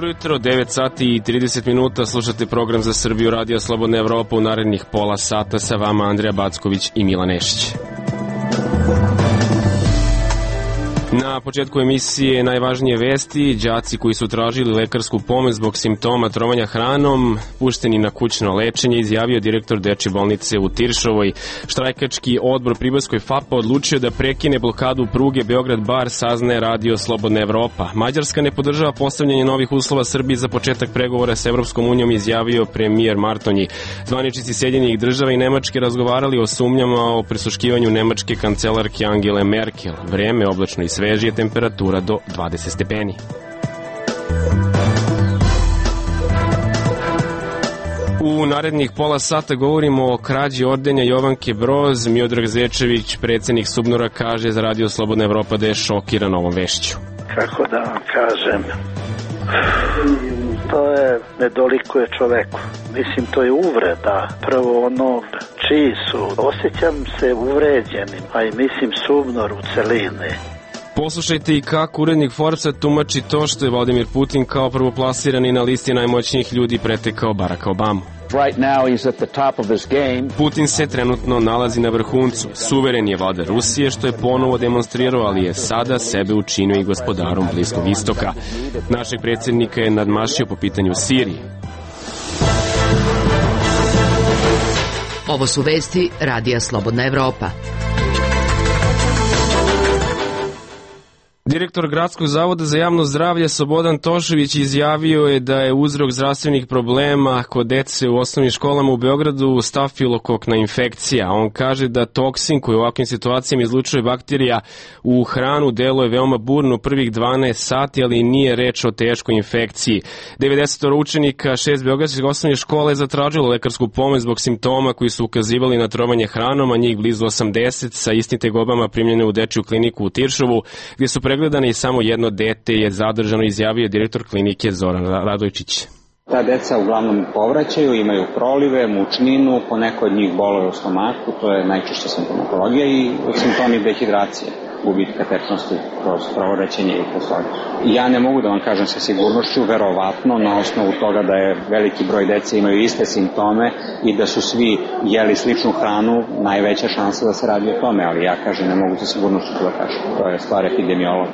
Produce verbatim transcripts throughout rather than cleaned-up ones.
Dobro jutro, devet sati i trideset minuta, slušate program za Srbiju Radio Slobodna Evropa. U narednih pola sata sa vama Andreja Backović i Milan Nešić. Na početku emisije najvažnije vesti: đaci koji su tražili lekarsku pomoć zbog simptoma trovanja hranom pušteni na kućno lečenje, izjavio direktor Dečje bolnice u Tiršovoj. Štrajkački odbor Pribojskoj F A P-a odlučio da prekine blokadu pruge Beograd-Bar, saznaje Radio Slobodna Evropa. Mađarska ne podržava postavljanje novih uslova Srbiji za početak pregovora s Evropskom unijom, izjavio premijer Martonji. Zvaničnici Sjedinjenih država i Nemačke razgovarali o sumnjama o prisluškivanju nemačke kancelarke Angele Merkel. Vreme oblačno i svežije, temperatura do dvadeset stepeni. U narednih pola sata govorimo o krađi ordenja Jovanke Broz. Miodrag Zečević, predsjednik Subnora, kaže za Radio Slobodna Evropa da je šokiran ovom vešću. Kako da vam kažem, to je, ne dolikuje čoveku. Mislim, to je uvreda. Prvo ono čiji su, osjećam se uvređenim, a i mislim Subnor u celini. Poslušajte i kako urednik Forbesa tumači to što je Vladimir Putin kao prvoplasirani na listi najmoćnijih ljudi pretekao Baracka Obamu. Right now he's at the top of his game. Putin se trenutno nalazi na vrhuncu. Suveren je vladar Rusije, što je ponovo demonstrirao, ali je sada sebe učinio i gospodarom Bliskog istoka. Našeg predsjednika je nadmašio po pitanju Sirije. Ovo su vesti Radija Slobodna Evropa. Direktor Gradskog zavoda za javno zdravlje Slobodan Tošović izjavio je da je uzrok zdravstvenih problema kod dece u osnovnim školama u Beogradu stafilokokna infekcija. On kaže da toksin koji u ovakvim situacijama izlučuje bakterija u hranu deluje veoma burno prvih dvanaest sati, ali nije reč o teškoj infekciji. devedeset učenika šest beogradskih osnovnih škola je zatražilo lekarsku pomoć zbog simptoma koji su ukazivali na trovanje hranom, a njih blizu osamdeset sa istim tegobama primljene u dečju kliniku u Tiršovu, gdje su pregledane i samo jedno dete je zadržano, izjavio direktor klinike Zoran Radojčić. Ta deca uglavnom povraćaju, imaju prolive, mučninu, poneko od njih bolove u stomaku, to je najčešća simptomatologija i simptomi dehidracije, gubitka tečnosti kroz povraćanje i kroz. Ja ne mogu da vam kažem sa sigurnošću, verovatno na osnovu toga da je veliki broj dece imaju iste simptome i da su svi jeli sličnu hranu, najveća šansa da se radi o tome, ali ja kažem ne mogu sa sigurnošću da kažem, to je stvar epidemiologa.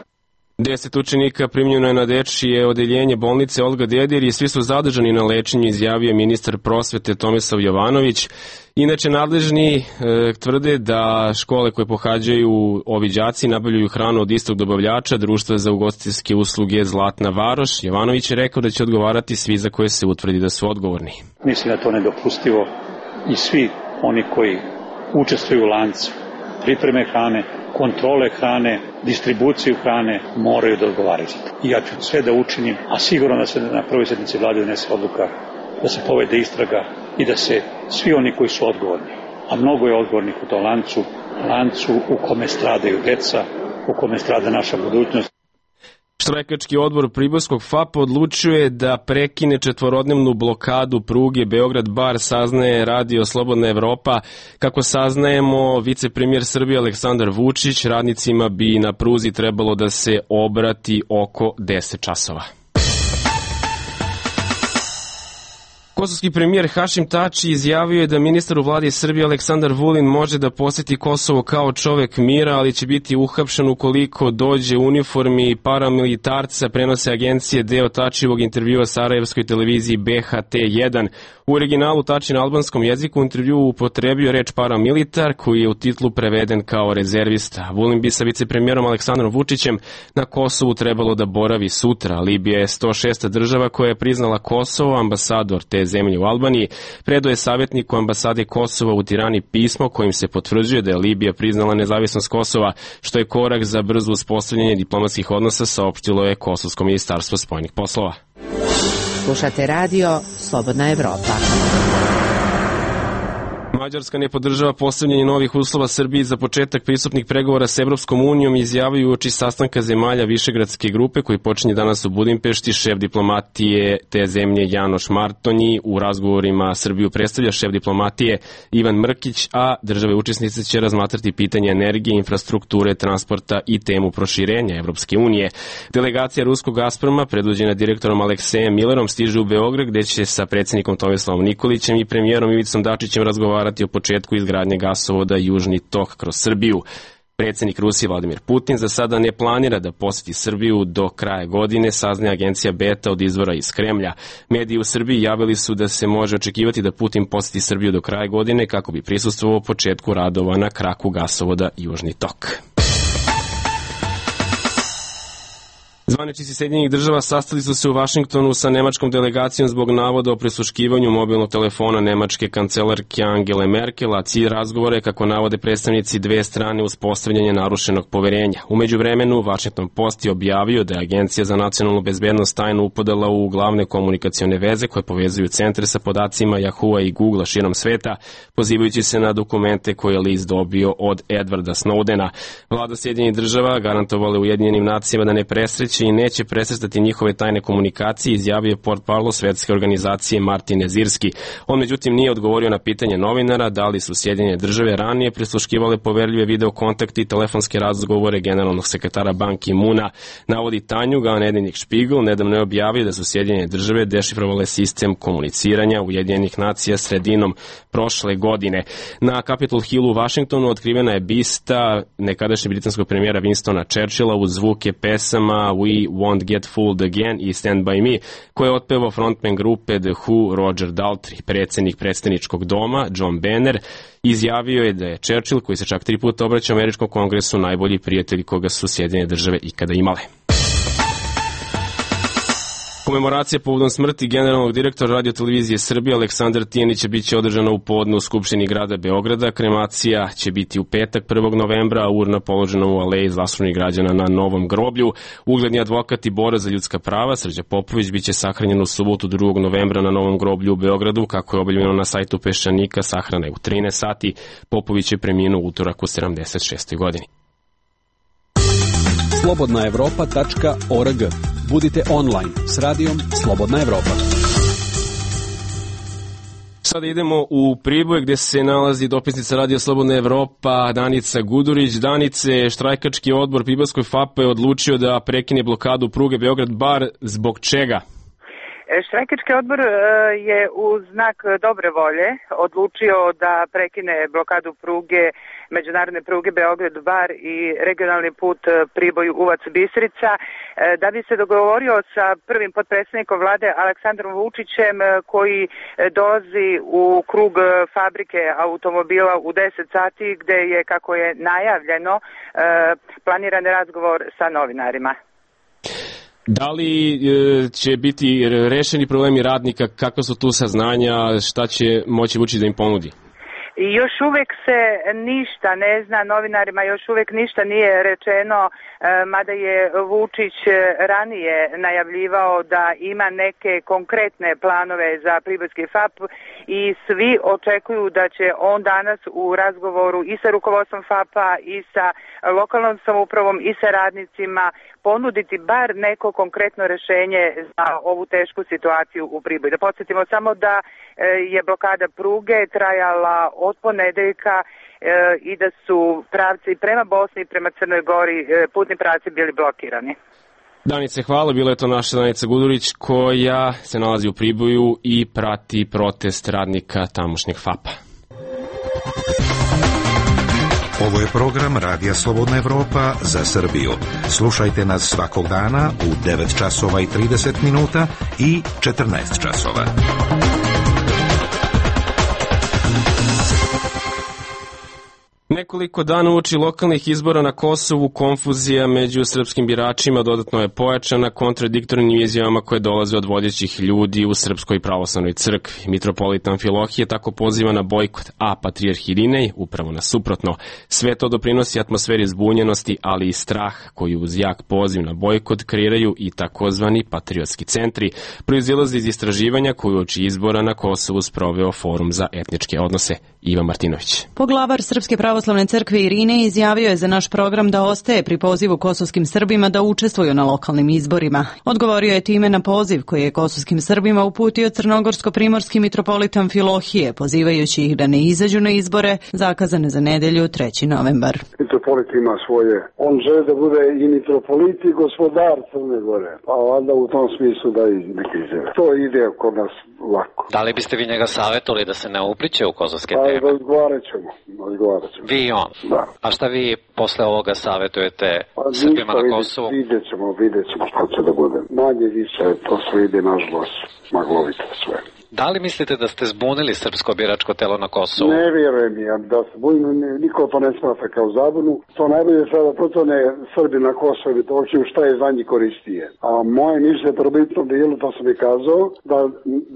Deset učenika primljeno je na dečije odeljenje bolnice Olga Dedir i svi su zadržani na lečenju, izjavio ministar prosvete Tomislav Jovanović. Inače, nadležni e, tvrde da škole koje pohađaju ovi đaci nabavljaju hranu od istog dobavljača, Društva za ugostiteljske usluge Zlatna Varoš. Jovanović je rekao da će odgovarati svi za koje se utvrdi da su odgovorni. Mislim da to nedopustivo i svi oni koji učestvuju u lancu pripreme hrane, kontrole hrane, distribuciju hrane moraju da odgovaraju za to. I ja ću sve da učinim, a sigurno da se na prvoj sednici vlade donese odluka da se povede istraga i da se svi oni koji su odgovorni, a mnogo je odgovornih u tom lancu, lancu u kome stradaju deca, u kome strada naša budućnost. Štrajkački odbor Pribojskog F A P odlučio je da prekine četvorodnevnu blokadu pruge Beograd-Bar, saznaje Radio Slobodna Evropa. Kako saznajemo, vicepremijer Srbije Aleksandar Vučić radnicima bi na pruzi trebalo da se obrati oko deset časova. Kosovski premijer Hašim Tači izjavio je da ministar u vladi Srbije Aleksandar Vulin može da poseti Kosovo kao čovek mira, ali će biti uhapšen ukoliko dođe u uniformi paramilitarca, prenose agencije deo Tačijevog intervjua sarajevskoj televiziji B H T jedan. U originalu Tači na albanskom jeziku u intervjuu upotrebio reč paramilitar, koji je u titlu preveden kao rezervista. Vulin bi sa vicepremijerom Aleksandrom Vučićem na Kosovu trebalo da boravi sutra. Libija je sto šesta država koja je priznala Kosovo. Ambasador te zemlje u Albaniji predao je savjetniku ambasade Kosova u Tirani pismo kojim se potvrđuje da je Libija priznala nezavisnost Kosova, što je korak za brzo uspostavljanje diplomatskih odnosa, saopštilo je Kosovsko ministarstvo spoljnih poslova. Slušate radio Slobodna Evropa. Mađarska ne podržava postavljanje novih uslova Srbiji za početak pristupnih pregovora s Evropskom unijom, izjavio uoči sastanka zemalja Višegradske grupe koji počinje danas u Budimpešti. Šef diplomatije te zemlje Janoš Martonji u razgovorima Srbiju predstavlja šef diplomatije Ivan Mrkić, a države učesnice će razmatrati pitanje energije, infrastrukture, transporta i temu proširenja Evropske unije. Delegacija ruskog Gazproma, predvođena direktorom Aleksejem Millerom, stiže u Beograd gde će sa predsjednikom Tomislavom Nikolićem i premijerom Ivicom Dačićem razgovarati o početku izgradnje gasovoda Južni tok kroz Srbiju. Predsjednik Rusije Vladimir Putin za sada ne planira da poseti Srbiju do kraja godine, saznaje agencija Beta od izvora iz Kremlja. Mediji u Srbiji javili su da se može očekivati da Putin poseti Srbiju do kraja godine kako bi prisustvovao početku radova na kraku gasovoda Južni tok. Zvaničnici Sjedinjenih država sastali su se u Vašingtonu sa nemačkom delegacijom zbog navoda o prisluškivanju mobilnog telefona nemačke kancelarke Angele Merkel, a cilj razgovora je, kako navode predstavnici dve strane, uspostavljanje narušenog poverenja. U međuvremenu, Washington Post je objavio da je Agencija za nacionalnu bezbednost tajno upadala u glavne komunikacione veze koje povezuju centre sa podacima Yahoo i Google širom sveta, pozivajući se na dokumente koje je list dobio od Edwarda Snowdena. Vlada Sjedinjenih država garantovala Ujedinjenim nacijama da ne presreće i neće presretati njihove tajne komunikacije, izjavio je portparol svetske organizacije Martin Nezirski. On međutim nije odgovorio na pitanje novinara da li su Sjedinjene države ranije prisluškivale poverljive video kontakte i telefonske razgovore generalnog sekretara Ban Ki-moona. Navodi Tanjug, a nedeljnik Špigl nedavno je objavio da su Sjedinjene države dešifrovale sistem komuniciranja Ujedinjenih nacija sredinom prošle godine. Na Capitol Hillu u Vašingtonu otkrivena je bista nekadašnjeg britanskog premijera Winstona Churchilla uz zvuke pesama We Won't Get Fooled Again i Stand By Me, koje je otpevao frontman grupe The Who Roger Daltrey. Predsjednik predstavničkog doma John Boehner izjavio je da je Churchill, koji se čak tri puta obraćao Američkom kongresu, najbolji prijatelj koga su Sjedinjene države ikada imale. Komemoracija povodom smrti generalnog direktora Radio-televizije Srbije Aleksandra Tijanića biće održana u podne u Skupštini grada Beograda. Kremacija će biti u petak prvog novembra, a urna položena u aleji zaslužnih građana na Novom groblju. Ugledni advokat i borac za ljudska prava Srđan Popović biće sahranjen u subotu drugog novembra na Novom groblju u Beogradu, kako je objavljeno na sajtu Peščanika. Sahrana je u trinaest sati. Popović je preminuo utorak u sedamdeset šestoj godini. slobodna evropa tačka org. Budite online s radijom Slobodna Evropa. Sada idemo u Priboj gdje se nalazi dopisnica Radija Slobodna Evropa Danica Gudurić. Danice, štrajkački odbor Pribojskoj F A P je odlučio da prekine blokadu pruge Beograd-Bar. Zbog čega? Štrajkački odbor je u znak dobre volje odlučio da prekine blokadu pruge, međunarodne pruge Beograd-Bar i regionalni put Priboj-Uvac-Bistrica, da bi se dogovorio sa prvim potpredsjednikom vlade Aleksandrom Vučićem, koji dolazi u krug fabrike automobila u deset sati, gde je, kako je najavljeno, planiran razgovor sa novinarima. Da li e, će biti rešeni problemi radnika, kakva su tu saznanja, šta će moći Vučić da im ponudi? I još uvek se ništa ne zna, novinarima još uvek ništa nije rečeno, mada je Vučić ranije najavljivao da ima neke konkretne planove za Pribojski F A P i svi očekuju da će on danas u razgovoru i sa rukovodstvom F A P-a i sa lokalnom samoupravom i sa radnicima ponuditi bar neko konkretno rešenje za ovu tešku situaciju u Priboju. Da podsjetimo samo da je blokada pruge trajala od ponedeljka i da su pravci prema Bosni i prema Crnoj Gori, putni pravci, bili blokirani. Danice, hvala. Bila je to naša Danica Gudurić koja se nalazi u Priboju i prati protest radnika tamošnjeg F A P-a. Ovo je program Radija Slobodna Evropa za Srbiju. Slušajte nas svakog dana u devet časova i trideset minuta i četrnaest časova. Nekoliko dana uoči lokalnih izbora na Kosovu konfuzija među srpskim biračima dodatno je pojačana kontradiktornim izjavama koje dolaze od vodećih ljudi u Srpskoj pravoslavnoj crkvi. Mitropolit Amfilohije tako poziva na bojkot, a patrijarh Irinej upravo na suprotno. Sve to doprinosi atmosferi zbunjenosti, ali i strah koji uz jak poziv na bojkot kreiraju i takozvani patriotski centri, proizilaze iz istraživanja koju uoči izbora na Kosovu sproveo Forum za etničke odnose. Ivan Martinović. Poglavar Srpske pravoslavne crkve Irinej izjavio je za naš program da ostaje pri pozivu kosovskim Srbima da učestvuju na lokalnim izborima. Odgovorio je time na poziv koji je kosovskim Srbima uputio crnogorsko-primorski mitropolit Amfilohije, pozivajući ih da ne izađu na izbore zakazane za nedelju treći novembar. Mitropolit ima svoje. On želi da bude i mitropolit i gospodar Crne Gore. Pa onda u tom smislu da i neki izjave. To ide kod nas lako. Da li biste vi njega savjetovali da se ne upliče u kosovske teme? Pa razgovarat ćemo. Razgovarat ćemo. Vi i on? Da. A šta vi posle ovoga savjetujete pa, Srbima na Kosovu? Vidjet ćemo, vidjet ćemo šta će da bude. Manje više, to sve ide nažalost maglovito sve. Da li mislite da ste zbunili srpsko biračko telo na Kosovu? Ne vjerujem ja da se zbunim, niko to ne smatra kao zabunu. To najbolje sada protone Srbi na Kosovu i to šta je za njih koristije. A moje mišlje probitnom dijelu, to sam i kazao, da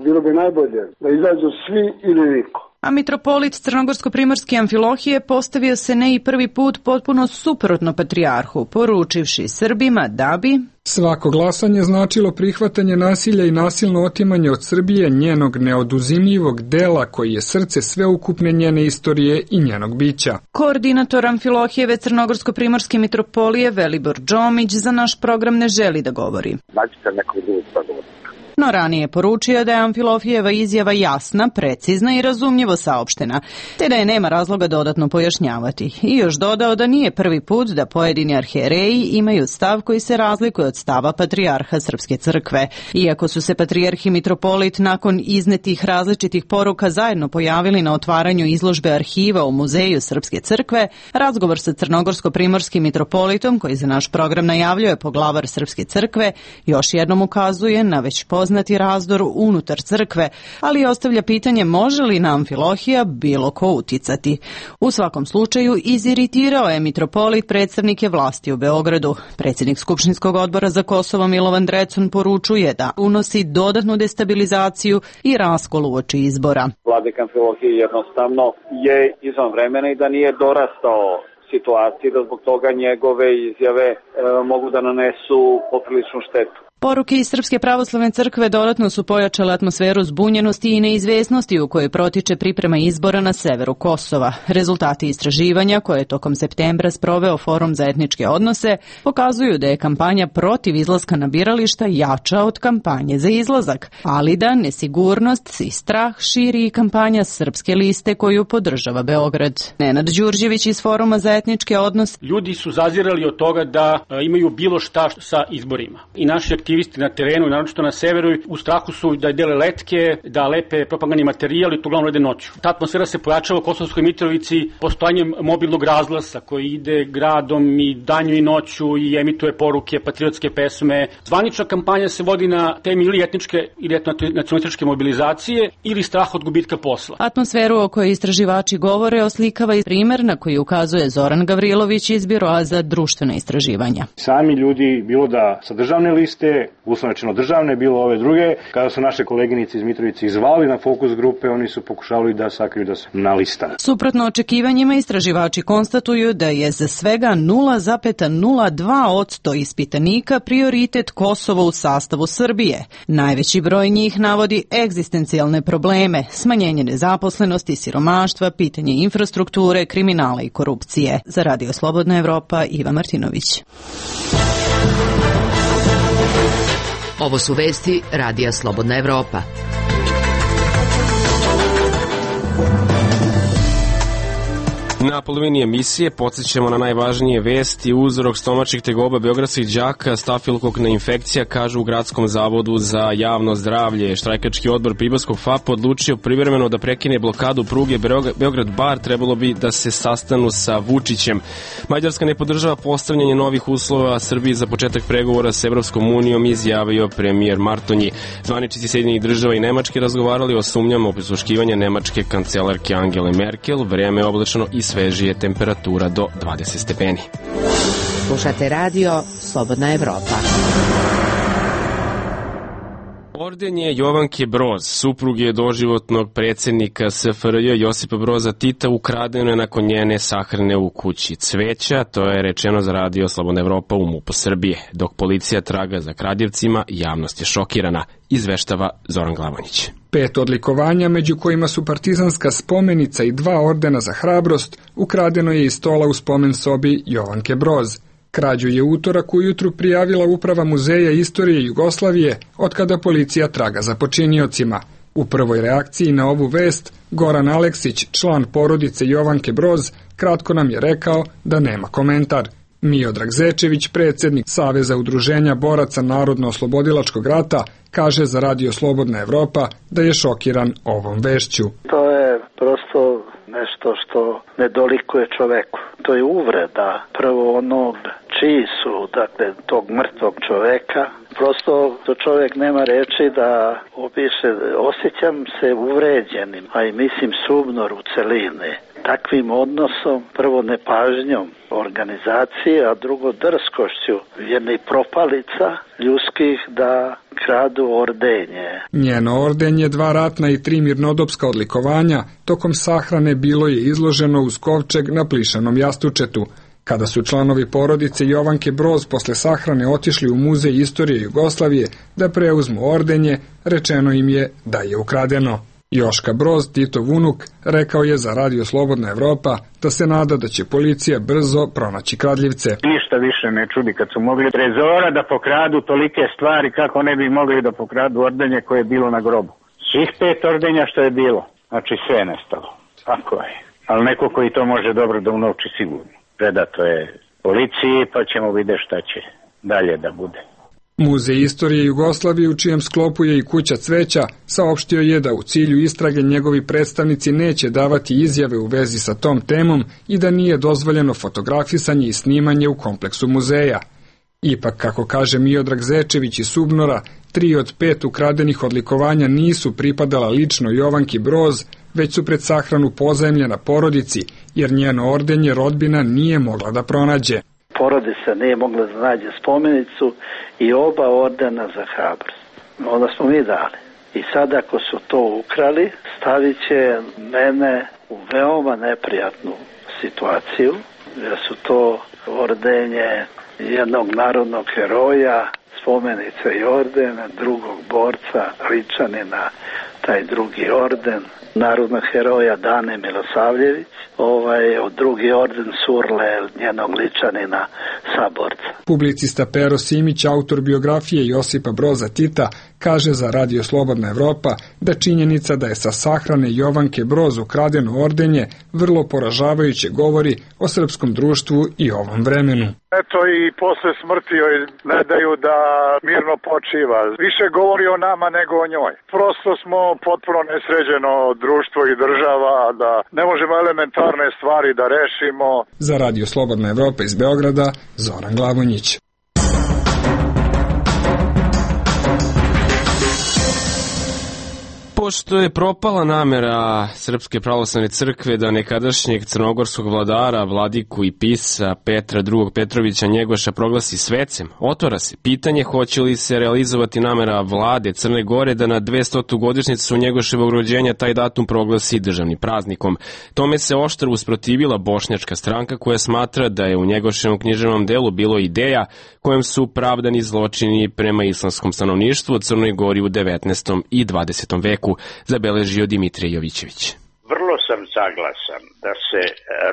bilo bi najbolje da izađu svi ili niko. A mitropolit crnogorsko-primorski Amfilohije postavio se ne i prvi put potpuno suprotno patrijarhu, poručivši Srbima da bi svako glasanje značilo prihvatanje nasilja i nasilno otimanje od Srbije njenog neoduzimljivog dela koji je srce sveukupne njene istorije i njenog bića. Koordinator Amfilohijeve crnogorsko-primorske mitropolije Velibor Džomić za naš program ne želi da govori. Nađite nekog drugog sagovornika. No ranije poručio da je Amfilohijeva izjava jasna, precizna i razumljivo saopštena, te da je nema razloga dodatno pojašnjavati. I još dodao da nije prvi put da pojedini arhijereji imaju stav koji se razlikuje od stava patrijarha Srpske crkve. Iako su se patrijarh i mitropolit nakon iznetih različitih poruka zajedno pojavili na otvaranju izložbe arhiva u Muzeju Srpske crkve, razgovor sa crnogorsko-primorskim mitropolitom, koji za naš program najavljuje poglavar Srpske crkve, još jednom ukazuje na već poznati razdor unutar crkve, ali ostavlja pitanje može li na Amfilohija bilo ko uticati. U svakom slučaju iziritirao je mitropolit predstavnike vlasti u Beogradu. Predsjednik Skupštinskog odbora za Kosovo Milovan Drecun poručuje da unosi dodatnu destabilizaciju i raskol uoči izbora. Vladik Amfilohije jednostavno je izvan vremena i da nije dorastao situaciji, da zbog toga njegove izjave e, mogu da nanesu popriličnu štetu. Poruke iz Srpske pravoslavne crkve dodatno su pojačale atmosferu zbunjenosti i neizvesnosti u kojoj protiče priprema izbora na severu Kosova. Rezultati istraživanja, koje je tokom septembra sproveo Forum za etničke odnose, pokazuju da je kampanja protiv izlaska na birališta jača od kampanje za izlazak, ali da nesigurnost i strah širi i kampanja Srpske liste koju podržava Beograd. Nenad Đurđević iz Foruma za etničke odnose. Ljudi su zazirali od toga da imaju bilo šta sa izborima. I naši aktivisti na terenu, naročito na severu, u strahu su da dele letke, da lepe propagandni materijal i to uglavnom rade noću. Ta atmosfera se pojačava u Kosovskoj Mitrovici postojanjem mobilnog razglasa koji ide gradom i danju i noću i emituje poruke, patriotske pesme. Zvanična kampanja se vodi na temi ili etničke ili nacionalističke mobilizacije ili strah od gubitka posla. Atmosferu o kojoj istraživači govore oslikava i primer na koji ukazuje Zoran Gavrilović iz Biroa za društvena istraživanja. Sami ljudi, bilo da sa državne liste, uslovno rečeno državne, bilo ove druge, kada su naše koleginice iz Mitrovice izvali na fokus grupe, oni su pokušavali da sakriju da su na listama. Suprotno očekivanjima, istraživači konstatuju da je za svega nula zarez nula dva posto ispitanika prioritet Kosovo u sastavu Srbije. Najveći broj njih navodi egzistencijalne probleme, smanjenje nezaposlenosti, siromaštva, pitanje infrastrukture, kriminala i korupcije. Za Radio Slobodna Evropa, Ivan Martinović. Ovo su vesti Radija Slobodna Evropa. Na polovini emisije podsjećamo na najvažnije vesti. Uzrok stomačnih tegoba beogradskih đaka stafilokokna infekcija, kažu u Gradskom zavodu za javno zdravlje. Štrajkački odbor Pribojskog F A P odlučio privremeno da prekine blokadu pruge Beograd-Bar, trebalo bi da se sastanu sa Vučićem. Mađarska ne podržava postavljanje novih uslova Srbiji za početak pregovora s Evropskom unijom, izjavio premijer Martonji. Zvaničnici Sjedinjenih država i Nemačke razgovarali o sumnjama o prisluškivanju nemačke kancelarke Angele Merkel. Vreme je oblačno i najsvežije temperatura do dvadeset stepeni. Slušate radio Slobodna Evropa. Orden je Jovanke Broz, supruge doživotnog predsjednika S F R J Josipa Broza Tita, ukradeno je nakon njene sahrane u kući cveća. To je rečeno za radio Slobodna Evropa u MUP-u Srbije. Dok policija traga za kradljivcima, javnost je šokirana, izveštava Zoran Glavonjić. Pet odlikovanja, među kojima su partizanska spomenica i dva ordena za hrabrost, ukradeno je iz stola u spomen sobi Jovanke Broz. Krađu je utorak ujutru prijavila Uprava Muzeja istorije Jugoslavije, otkada policija traga za počiniocima. U prvoj reakciji na ovu vest, Goran Aleksić, član porodice Jovanke Broz, kratko nam je rekao da nema komentar. Miodrag Zečević, predsjednik Saveza udruženja boraca Narodno-oslobodilačkog rata, kaže za radio Slobodna Evropa da je šokiran ovom vešću. To je prosto nešto što ne dolikuje čoveku. To je uvreda prvo onog čiji su, dakle, tog mrtvog čoveka. Prosto to čovjek nema reči da opiše. Osjećam se uvređenim, a i mislim subnor u celini. Takvim odnosom, prvo nepažnjom organizacije, a drugo drskošću jednih propalica ljudskih da kradu ordenje. Njeno ordenje, dva ratna i tri mirnodopska odlikovanja, tokom sahrane bilo je izloženo uz kovčeg na plišanom jastučetu. Kada su članovi porodice Jovanke Broz posle sahrane otišli u Muzej istorije Jugoslavije da preuzmu ordenje, rečeno im je da je ukradeno. Joška Broz, Titov unuk, rekao je za radio Slobodna Evropa da se nada da će policija brzo pronaći kradljivce. Ništa više ne čudi kad su mogli trezora da pokradu tolike stvari, kako ne bi mogli da pokradu ordenje koje je bilo na grobu. Svih pet ordenja što je bilo, znači sve je nestalo. Tako je. Ali neko koji to može dobro da unovči sigurno. Predato je policiji, pa ćemo vidjeti šta će dalje da bude. Muzej istorije Jugoslavije, u čijem sklopu je i kuća cveća, saopštio je da u cilju istrage njegovi predstavnici neće davati izjave u vezi sa tom temom i da nije dozvoljeno fotografisanje i snimanje u kompleksu muzeja. Ipak, kako kaže Miodrag Zečević iz Subnora, tri od pet ukradenih odlikovanja nisu pripadala lično Jovanki Broz, već su pred sahranu pozajmljena porodici, jer njeno ordenje rodbina nije mogla da pronađe. Porodica nije mogla da nađe spomenicu i oba ordena za hrabrost. Onda smo mi dali. I sad ako su to ukrali, stavit će mene u veoma neprijatnu situaciju, jer su to ordenje jednog narodnog heroja, spomenica i orden, drugog borca, Ličanina, taj drugi orden, narodnog heroja Dane Milosavljević, ovaj, od drugi orden Surle, njenog Ličanina, saborca. Publicista Pero Simić, autor biografije Josipa Broza Tita, kaže za radio Slobodna Evropa da činjenica da je sa sahrane Jovanke Broz ukradeno ordenje vrlo poražavajuće govori o srpskom društvu i ovom vremenu. Eto, i posle smrti joj ne daju da mirno počiva. Više govori o nama nego o njoj. Prosto smo potpuno nesređeno društvo i država, da ne možemo elementarne stvari da rešimo. Za radio Slobodna Evropa iz Beograda, Zoran Glavonjić. Pošto je propala namera Srpske pravoslavne crkve da nekadašnjeg crnogorskog vladara, vladiku i pisa Petra drugog Petrovića Njegoša proglasi svecem, otvara se pitanje hoće li se realizovati namera vlade Crne Gore da na dvestotu godišnjicu Njegoševog rođenja taj datum proglasi državnim praznikom. Tome se oštro usprotivila bošnjačka stranka koja smatra da je u Njegoševom književnom delu bilo ideja kojom su pravdani zločini prema islamskom stanovništvu u Crnoj Gori u devetnaestom i dvadesetom veku, zabeležio Dimitrije Jovićević. Vrlo sam saglasan da se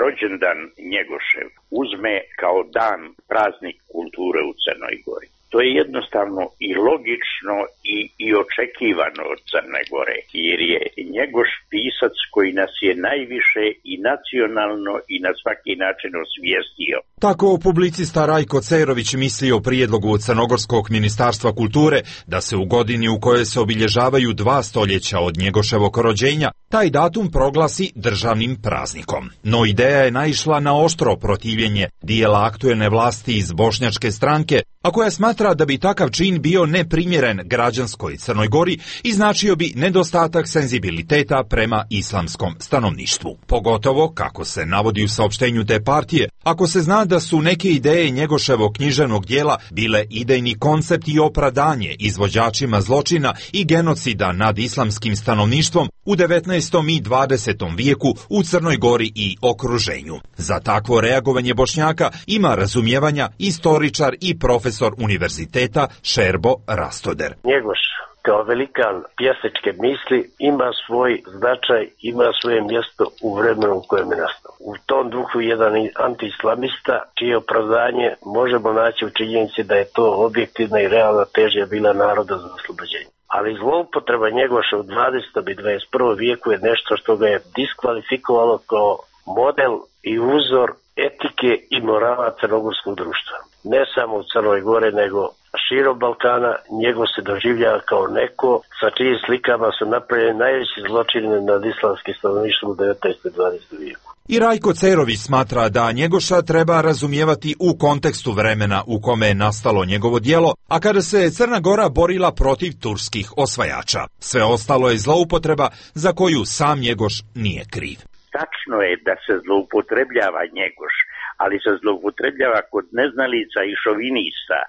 rođendan Njegošev uzme kao dan praznik kulture u Crnoj Gori. To je jednostavno i logično i, i očekivano od Crne Gore, jer je Njegoš pisac koji nas je najviše i nacionalno i na svaki način osvijestio. Tako publicista Rajko Cerović misli o prijedlogu Crnogorskog ministarstva kulture da se u godini u kojoj se obilježavaju dva stoljeća od Njegoševog rođenja taj datum proglasi državnim praznikom. No ideja je naišla na oštro protivljenje dijela aktuelne vlasti iz bošnjačke stranke a koja smatra da bi takav čin bio neprimjeren građanskoj Crnoj Gori i značio bi nedostatak senzibiliteta prema islamskom stanovništvu. Pogotovo, kako se navodi u saopštenju te partije, ako se zna da su neke ideje Njegoševog književnog dijela bile idejni koncept i opravdanje izvođačima zločina i genocida nad islamskim stanovništvom u devetnaestom i dvadesetom vijeku u Crnoj Gori i okruženju. Za takvo reagovanje Bošnjaka ima razumijevanja istoričar i profesor univerziteta Šerbo Rastoder. Njegoš kao velikan pjesničke misli ima svoj značaj, ima svoje mjesto u vremenu u kojem je nastao. U tom duhu jedan antiislamista čije opravdanje možemo naći u činjenici da je to objektivna i realna težnja bila naroda za oslobođenje. Ali zloupotreba Njegoša u dvadesetom i dvadeset prvom vijeku je nešto što ga je diskvalifikovalo kao model i uzor etike i morala crnogorskog društva. Ne samo u Crnoj Gore, nego širom Balkana. Njegov se doživljava kao neko sa čijim slikama su napravljeni najveći zločini nad islamskim stanovništvom u devetnaestom i dvadesetom vijeku. I Rajko Cerović smatra da Njegoša treba razumijevati u kontekstu vremena u kome je nastalo njegovo djelo, a kada se Crna Gora borila protiv turskih osvajača. Sve ostalo je zloupotreba za koju sam Njegoš nije kriv. Tačno je da se zloupotrebljava Njegoš, ali se zloupotrebljava kod neznalica i šovinista,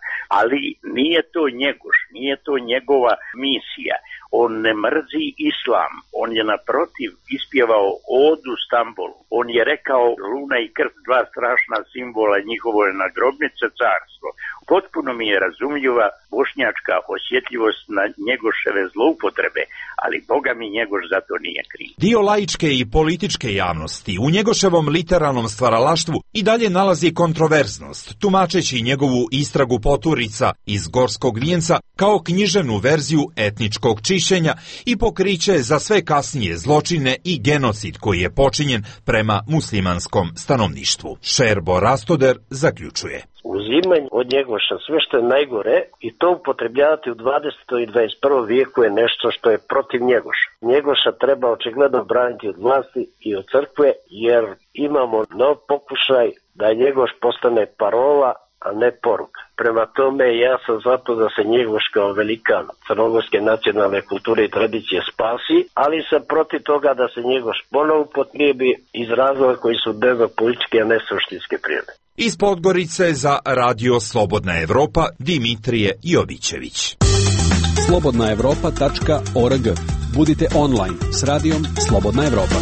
ali nije to Njegoš, nije to njegova misija. On ne mrzi islam, on je naprotiv ispjevao odu Stambolu. On je rekao luna i krst, dva strašna simbola, njihovo je nagrobnice carstvo. Potpuno mi je razumljiva bošnjačka osjetljivost na Njegoševe zloupotrebe, ali Boga mi Njegoš za to nije kriv. Dio laičke i političke javnosti u Njegoševom literarnom stvaralaštvu i dalje nalazi kontroverznost, tumačeći njegovu istragu poturica iz Gorskog vijenca kao književnu verziju etničkog čišćenja i pokriće za sve kasnije zločine i genocid koji je počinjen prema muslimanskom stanovništvu. Šerbo Rastoder zaključuje. Uzimanje od Njegoša sve što je najgore i to upotrebljavati u dvadesetom i dvadeset prvom vijeku je nešto što je protiv Njegoša. Njegoša treba očigledno braniti od vlasti i od crkve, jer imamo nov pokušaj da Njegoš postane parola, a ne poruka. Prema tome ja sam zato da se Njegoš kao velikan crnogorske nacionalne kulture i tradicije spasi, ali sam protiv toga da se Njegoš ponovo upotrijebi iz razloga koji su dnevno-političke, a ne suštinske prirode. Iz Podgorice za Radio Slobodna Evropa Dimitrije Jovićević. slobodna evropa tačka org. Budite online s radijom Slobodna Evropa.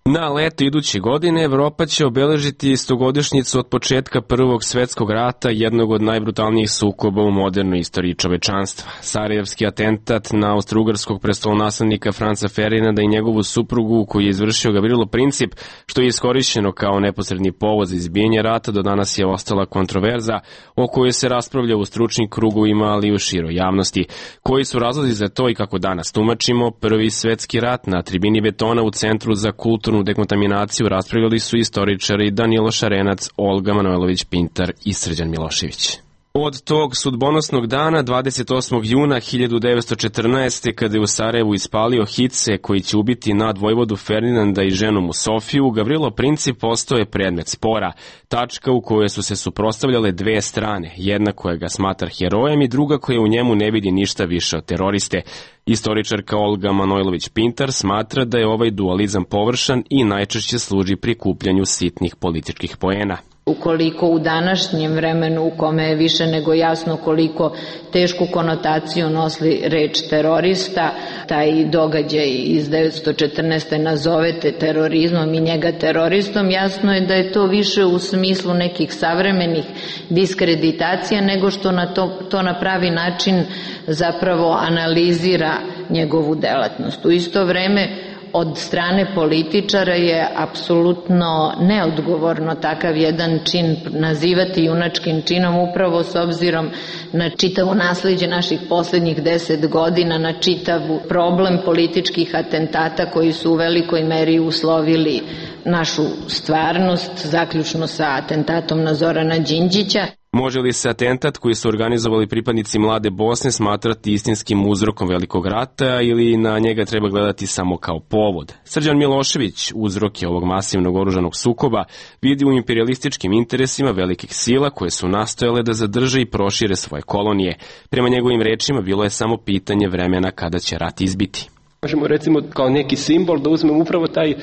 Na leto iduće godine Evropa će obeležiti stogodišnjicu od početka Prvog svetskog rata, jednog od najbrutalnijih sukoba u modernoj istoriji čovečanstva. Sarajevski atentat na austrougarskog prestolonaslednika Franca Ferdinanda i njegovu suprugu, koji je izvršio Gavrilo Princip, što je iskorišćeno kao neposredni povod za izbijanje rata, do danas je ostala kontroverza o kojoj se raspravlja u stručnim krugovima, ali i u široj javnosti. Koji su razlozi za to i kako danas tumačimo Prvi svetski rat? Na tribini betona u Centru za kulturnu dekontaminaciju raspravljali su istoričari Danilo Šarenac, Olga Manojlović-Pintar i Srđan Milošević. Od tog sudbonosnog dana, dvadeset osmog juna hiljadu devetsto četrnaeste. kada je u Sarajevu ispalio hice koji će ubiti nadvojvodu Ferdinanda i ženu mu Sofiju, Gavrilo Princip postao je predmet spora, tačka u kojoj su se suprotstavljale dve strane, jedna koja ga smatra herojem i druga koja u njemu ne vidi ništa više od teroriste. Istoričarka Olga Manojlović-Pintar smatra da je ovaj dualizam površan i najčešće služi prikupljanju sitnih političkih poena. Ukoliko u današnjem vremenu u kome je više nego jasno koliko tešku konotaciju nosi reč terorista, taj događaj iz devetsto četrnaeste. nazovete terorizmom i njega teroristom, jasno je da je to više u smislu nekih savremenih diskreditacija nego što na to, to na pravi način zapravo analizira njegovu delatnost. U isto vreme od strane političara je apsolutno neodgovorno takav jedan čin nazivati junačkim činom, upravo s obzirom na čitavo nasleđe naših poslednjih deset godina, na čitav problem političkih atentata koji su u velikoj meri uslovili našu stvarnost, zaključno sa atentatom na Zorana Đinđića. Može li se atentat koji su organizovali pripadnici Mlade Bosne smatrati istinskim uzrokom velikog rata ili na njega treba gledati samo kao povod? Srđan Milošević uzroke ovog masivnog oružanog sukoba vidi u imperialističkim interesima velikih sila koje su nastojale da zadrže i prošire svoje kolonije. Prema njegovim rečima bilo je samo pitanje vremena kada će rat izbiti. Možemo recimo kao neki simbol da uzmemo upravo taj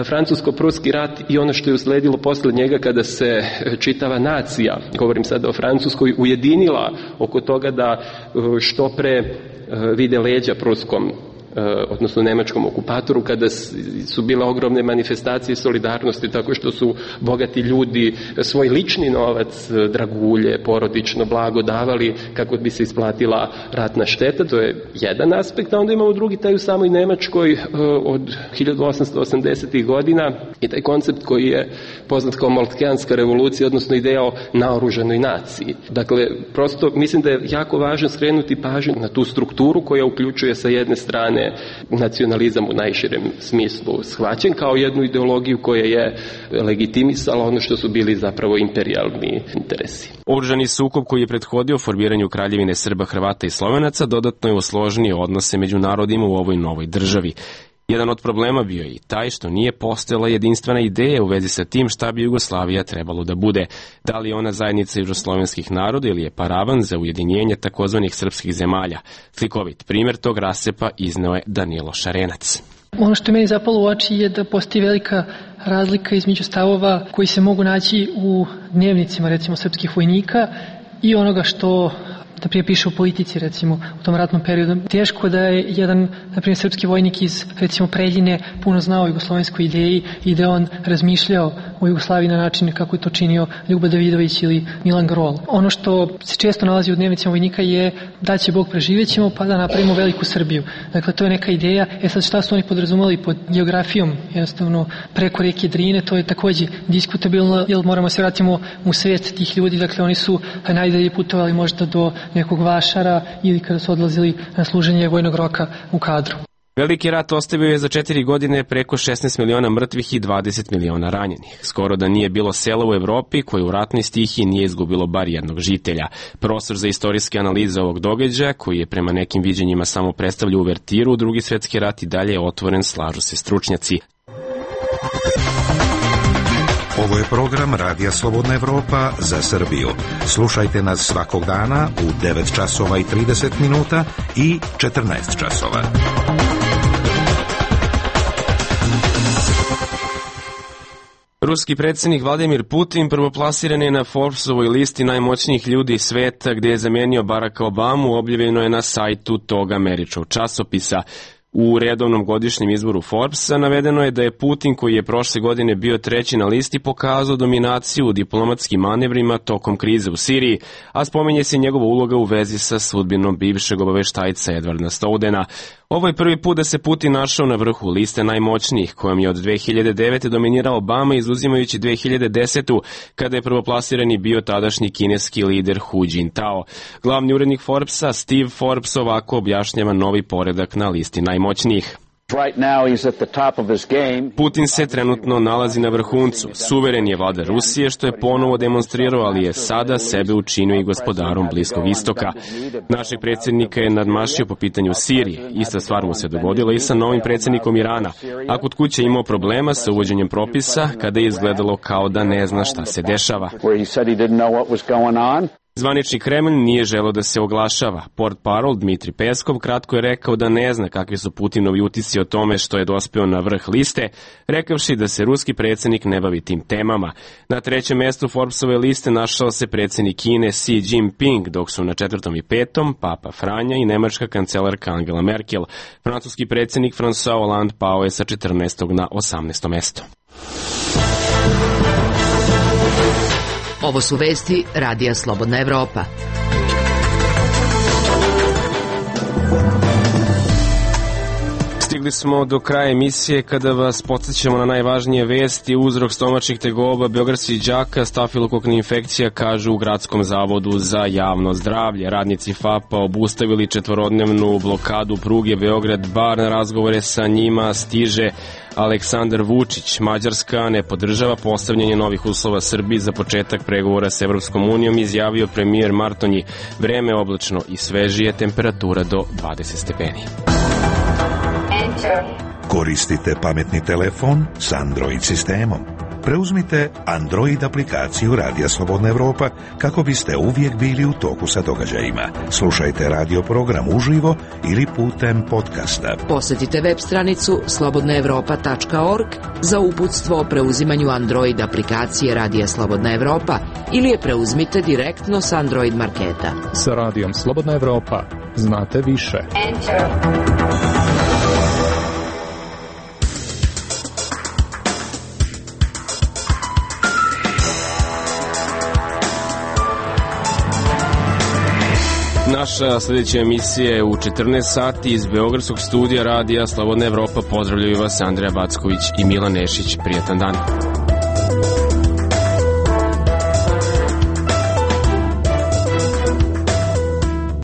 francusko-pruski rat i ono što je usledilo posle njega kada se čitava nacija, govorim sada o Francuskoj, ujedinila oko toga da što pre vide leđa pruskom, odnosno nemačkom okupatoru, kada su bile ogromne manifestacije solidarnosti tako što su bogati ljudi svoj lični novac, dragulje, porodično blago davali kako bi se isplatila ratna šteta. To je jedan aspekt, a onda imamo drugi taj u samoj Nemačkoj od hiljadu osamsto osamdesetih godina i taj koncept koji je poznat kao Moltkeanska revolucija, odnosno ideja o naoružanoj naciji. Dakle, prosto mislim da je jako važno skrenuti pažnju na tu strukturu koja uključuje sa jedne strane nacionalizam u najširem smislu shvaćen kao jednu ideologiju koja je legitimisala ono što su bili zapravo imperijalni interesi. Oružani sukob koji je prethodio formiranju Kraljevine Srba, Hrvata i Slovenaca dodatno je osložnio odnose među narodima u ovoj novoj državi. Jedan od problema bio je i taj što nije postojala jedinstvena ideja u vezi sa tim šta bi Jugoslavija trebalo da bude. Da li je ona zajednica južnoslovenskih naroda ili je paravan za ujedinjenje takozvanih srpskih zemalja. Slikovit primjer tog rasepa izneo je Danilo Šarenac. Ono što je meni zapalo u oči je da postoji velika razlika između stavova koji se mogu naći u dnevnicima recimo srpskih vojnika i onoga što da prije piše u politici, recimo, u tom ratnom periodu. Teško da je jedan, na primjer, srpski vojnik iz, recimo, Preljine puno znao o jugoslovenskoj ideji i da on razmišljao o Jugoslaviji na način kako je to činio Ljubo Davidović ili Milan Grol. Ono što se često nalazi u dnevnicima vojnika je da će Bog preživećemo pa da napravimo veliku Srbiju. Dakle, to je neka ideja. E sad, šta su oni podrazumeli pod geografijom, jednostavno preko reke Drine, to je takođe diskutabilno, jer moramo se vratimo u svet tih ljudi. Dakle, oni su najdalje putovali možda do nekog Vašara ili kada su odlazili na služenje vojnog roka u kadru. Veliki rat ostavio je za četiri godine preko šesnaest miliona mrtvih i dvadeset miliona ranjenih. Skoro da nije bilo sela u Evropi koje u ratnoj stihiji nije izgubilo bar jednog žitelja. Prostor za istorijske analize ovog događaja, koji je prema nekim viđenjima samo predstavlja uvertiru u Drugi svetski rat, i dalje je otvoren, slažu se stručnjaci. Ovo je program Radija Slobodna Evropa za Srbiju. Slušajte nas svakog dana u devet časova i trideset minuta i četrnaest časova. Ruski predsjednik Vladimir Putin prvoplasirani je na Forbesovoj listi najmoćnijih ljudi sveta, gdje je zamenio Baracka Obamu, objavljeno je na sajtu tog američkog časopisa. U redovnom godišnjem izboru Forbesa navedeno je da je Putin, koji je prošle godine bio treći na listi, pokazao dominaciju u diplomatskim manevrima tokom krize u Siriji, a spominje se njegova uloga u vezi sa sudbinom bivšeg obaveštajca Edwarda Snowdena. Ovo je prvi put da se Putin našao na vrhu liste najmoćnijih, kojom je od dve hiljade devete dominirao Obama, izuzimajući dve hiljade desetu kada je prvoplasirani bio tadašnji kineski lider Hu Jintao. Glavni urednik Forbesa, Steve Forbes, ovako objašnjava novi poredak na listi najmoćnijih. Putin se trenutno nalazi na vrhuncu. Suveren je vladar Rusije, što je ponovo demonstrirao, ali je sada sebe učinio i gospodarom Bliskog istoka. Našeg predsjednika je nadmašio po pitanju Sirije. Ista stvar mu se dogodila i sa novim predsjednikom Irana. A kod kuće imao problema sa uvođenjem propisa, kada je izgledalo kao da ne zna šta se dešava. Zvanični Kremlj nije želeo da se oglašava. Portparol Dmitri Peskov kratko je rekao da ne zna kakvi su Putinovi utisci o tome što je dospeo na vrh liste, rekavši da se ruski predsjednik ne bavi tim temama. Na trećem mjestu Forbesove liste našao se predsjednik Kine Xi Jinping, dok su na četvrtom i petom Papa Franja i nemačka kancelarka Angela Merkel. Francuski predsjednik François Hollande pao je sa četrnaestog na osamnaesto mesto. Ovo su vesti Radija Slobodna Evropa. Stigli smo do kraja emisije kada vas podsjećamo na najvažnije vesti. Uzrok stomačnih tegoba beogradskih đaka, stafilokokna infekcija, kažu u Gradskom zavodu za javno zdravlje. Radnici F A P-a obustavili četvorodnevnu blokadu pruge Beograd-Bar. Na razgovore sa njima stiže Aleksandar Vučić. Mađarska ne podržava postavljanje novih uslova Srbiji za početak pregovora s Evropskom unijom, izjavio premijer Martonji. Vreme oblačno i svežije, temperatura do dvadeset stepeni. Koristite pametni telefon s Android sistemom. Preuzmite Android aplikaciju Radija Slobodna Evropa kako biste uvijek bili u toku sa događajima. Slušajte radio program uživo ili putem podcasta. Posjetite web stranicu slobodna evropa tačka org za uputstvo o preuzimanju Android aplikacije Radija Slobodna Evropa ili je preuzmite direktno s Android marketa. Sa Radijom Slobodna Evropa znate više. Enter. Naša sljedeća emisija je u četrnaest sati iz Beogradskog studija Radija Slobodna Evropa. Pozdravljaju vas Andreja Backović i Milan Nešić. Prijatan dan.